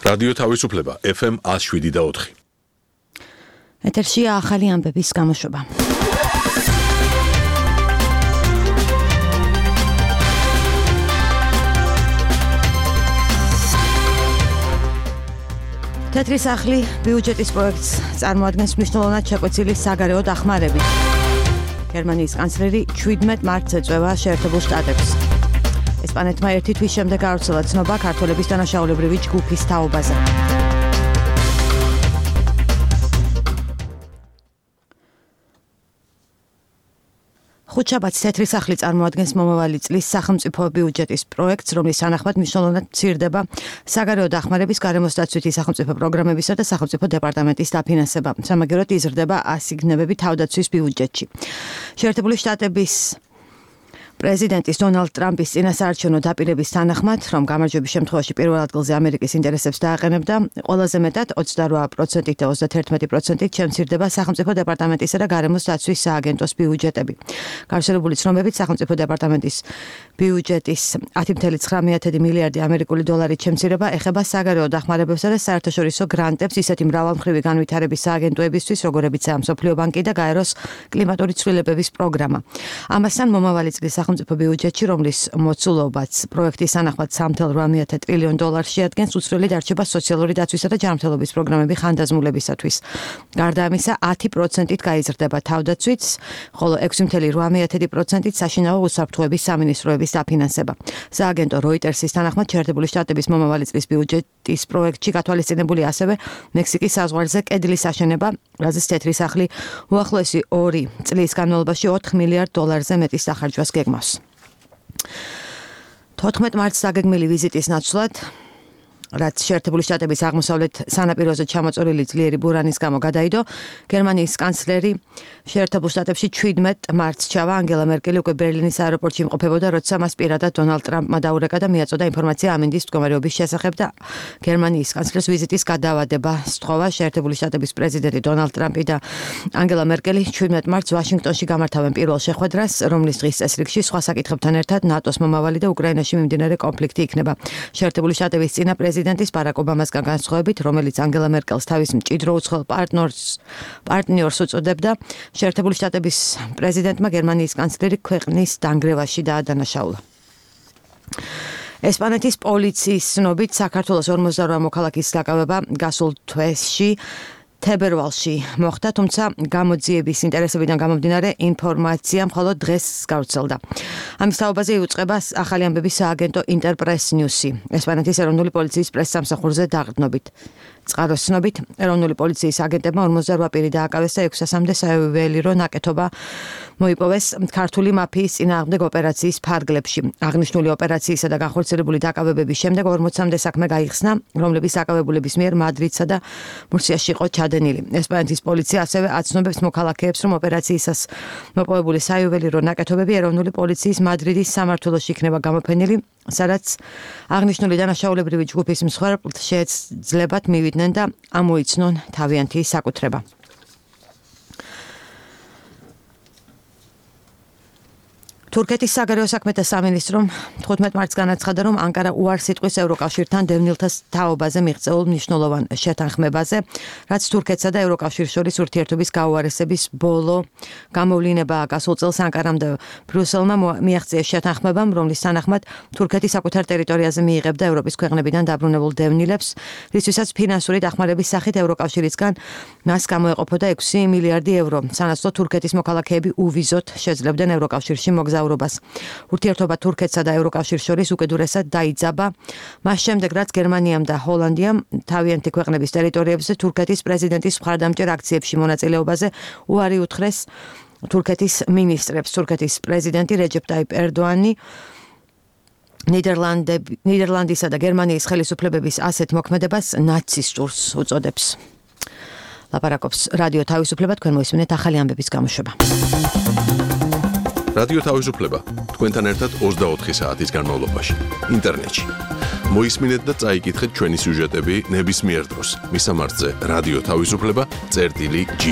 რადიო თავისუფლება FM 107.4. ეთერშია ახალი ამბების გამოშვება. თეთრი სახლი ბიუჯეტის პროექტს წარმოადგენს მნიშვნელოვნად შეკვეცილი საგარეო დახმარებით. გერმანიის კანცლერი 17 მარტს ეწევა შეერთებულ შტატებს. ესპანეთმა ერთი თვის შემდეგ გაავრცელა ცნობა ქართველების დანაშაულებრივი ჯგუფის თაობაზე. ხუთშაბათს თეთრი სახლი წარმოადგენს მომავალი წლის სახელმწიფო ბიუჯეტის პროექტს, რომლის თანახმად მნიშვნელოვნად მცირდება საგარეო დახმარების, გარემოს დაცვითი სახელმწიფო პროგრამებისა და სახელმწიფო დეპარტამენტის დაფინანსება. სამაგეროდ იზრდება ასიგნებები თავდაცვის ბიუჯეტში. შეერთებული შტატების პრეზიდენტის დონალდ ტრამპის წინასაარჩევნო დაპირების თანახმად, რომ გამარჯვების შემთხვევაში პირველ ადგილზე ამერიკის ინტერესებს დააყენებდა, ყველაზე მეტად 28% და 31% შემცირდება სახელმწიფო დეპარტამენტისა და გარემოს დაცვის სააგენტოს ბიუჯეტები. გავრცელებული ცნობებით, სახელმწიფო დეპარტამენტის ბიუჯეტის 10,9 მილიარდი ამერიკული დოლარით შემცირება ეხება საგარეო დახმარებებსა და საერთაშორისო გრანტებს ისეთი მრავალმხრივი განვითარების სააგენტოებისთვის, როგორებიცაა მსოფლიო ბანკი და გაეროს კლიმატური ცვლილებების პროგრამა. ამასთან მომავალი წლის სახელმწიფო ბიუჯეტში, რომლის მოცულობაც პროექტის თანახმად 3,8 ტრილიონ დოლარს შეადგენს, უცვლელი დარჩება სოციალური დაცვისა და ჯანმრთელობის პროგრამები ხანდაზმულებისათვის. გარდა ამისა, 10%-ით გაიზრდება თავდაცვით, ხოლო 6,8%-ით საშინაო უსაფრთხოების სამინისტროების დაფინანსება. სააგენტო როიტერსის თანახმად, შეერთებული შტატების მომავალი წლის ბიუჯეტის პროექტში გათვალისწინებული ასევე მექსიკის საზღვარზე კედლის აშენება, რაზეც თეთრი სახლი უახლოესი 2 წლის განმავლობაში 4 მილიარდ დოლარზე მეტის სახარჯვას გეგმავს. 14 მარტს დაგეგმილი ვიზიტის ნაცვლად, რაც შეერთებული შტატების აღმოსავლეთ სანაპიროზე ჩამოწოლილი ძლიერი ბურანის გამო გადაიდო, გერმანიის კანცლერი შეერთებულ შტატებში 17 მარტს ჩავა. ანგელა მერკელი უკვე ბერლინის აეროპორტში იმყოფებოდა, როცა მას პირადად დონალდ ტრამპმა დაურეკა და მიაწოდა ინფორმაცია ამინდის მდგომარეობის შესახებ და გერმანიის კანცლერს ვიზიტის გადავადება სთხოვა. შეერთებული შტატების პრეზიდენტი დონალდ ტრამპი და ანგელა მერკელი 17 მარტს ვაშინგტონში გამართავენ პირველ შეხვედრას, რომლის დღის წესრიგში სხვა საკითხებთან ერთად ნატოს მომავალი და უკრაინაში მიმდინარე კონფლიქტი იქნება. შეერთებული შტატების წინა პრეზიდენტის ბარაკ ობამასგან განსხვავებით, რომელიც ანგელა მერკელს თავის მჭიდრო უცხოელ პარტნიორს უწოდებდა, შეერთებული შტატების პრეზიდენტმა გერმანიის კანცლერი ქვეყნის დანგრევაში დაადანაშაულა. ესპანეთის პოლიციის ცნობით, საქართველოს 48 მოქალაქის დაკავება გასულ თვეში თებერვალში მოხდა, თუმცა გამოძიების ინტერესებიდან გამომდინარე ინფორმაცია მხოლოდ დღეს გავრცელდა. ამის თაობაზე იუწყება ახალი ამბების სააგენტო ინტერპრეს ნიუსი. ესპანეთის ეროვნული პოლიციის პრესსამსახურზე დაყრდნობით. წყაროს ცნობით, ეროვნული პოლიციის აგენტებმა 48 პირი დააკავეს და 600-მდე საიუველირო ნაკეთობა მოიპოვეს ქართული მაფიის წინააღმდეგ ოპერაციის ფარგლებში. აღნიშნული ოპერაციისა და განხორციელებული დაკავებების შემდეგ 40-მდე საქმე გაიხსნა, რომლების დაკავებულების მიერ მადრიდსა და მურსიაში იყო ჩადენილი. ესპანეთის პოლიცია ასევე აცნობებს მოქალაქეებს, რომ ოპერაციისას მოპოვებული საიუველირო ნაკეთობები ეროვნული პოლიციის მადრიდის სამმართველოში იქნება გამოფენილი, სადაც აღნიშნული დანაშაულებრივი ჯგუფის მსხვერპლთ შეეძლებათ მივიდნენ და ამოიცნონ თავიანთი საკუთრება. თურქეთის საგარეო საქმეთა სამინისტრომ 15 მარტს განაცხადა, რომ ანკარა უარს იტყვის ევროკავშირთან დევნილთა თაობაზე მიღწეულ მნიშვნელოვან შეთანხმებაზე, რაც თურქეთსა და ევროკავშირს შორის ურთიერთობის გაუარესების ბოლო გამოვლინებაა. გასულ წელს ანკარამ და ბრიუსელმა მიაღწიეს შეთანხმებამ, რომლის თანახმად თურქეთი საკუთარ ტერიტორიაზე მიიღებდა ევროპის ქვეყნებიდან დაბრუნებულ დევნილებს, რისთვისაც ფინანსური დახმარების სახით ევროკავშირისგან მას გამოეყოფოდა 6 მილიარდი ევრო. სანაცვლოდ თურქეთის მოქალაქეები უვიზოთ შეძლებდნენ ევროკავშირში მოგზაურობას. ურთიერთობა თურქეთსა და ევროკავშირს შორის უკიდურესად დაიძაბა, მას შემდეგ, რაც გერმანიამ და ჰოლანდიამ თავიანთი ქვეყნების ტერიტორიებზე თურქეთის პრეზიდენტის მხარდამჭერ აქციებში მონაწილეობაზე უარი უთხრეს თურქეთის მინისტრებს. თურქეთის პრეზიდენტი რეჯეპ ტაიპ ერდოანი ნიდერლანდისა და გერმანიის ხელისუფლებების ასეთ მოქმედებას ნაცისტურს უწოდებს. ლაპარაკობს რადიო თავისუფლება, თქვენ მოისმინეთ ახალი ამბების გამოშვება. რადიო თავისუფლება თქვენთან ერთად 24 საათის განმავლობაში ინტერნეტში. მოისმინეთ და წაიკითხეთ ჩვენი სიუჟეტები ნებისმიერ დროს. მისამართზე რადიო თავისუფლება წერტილი G.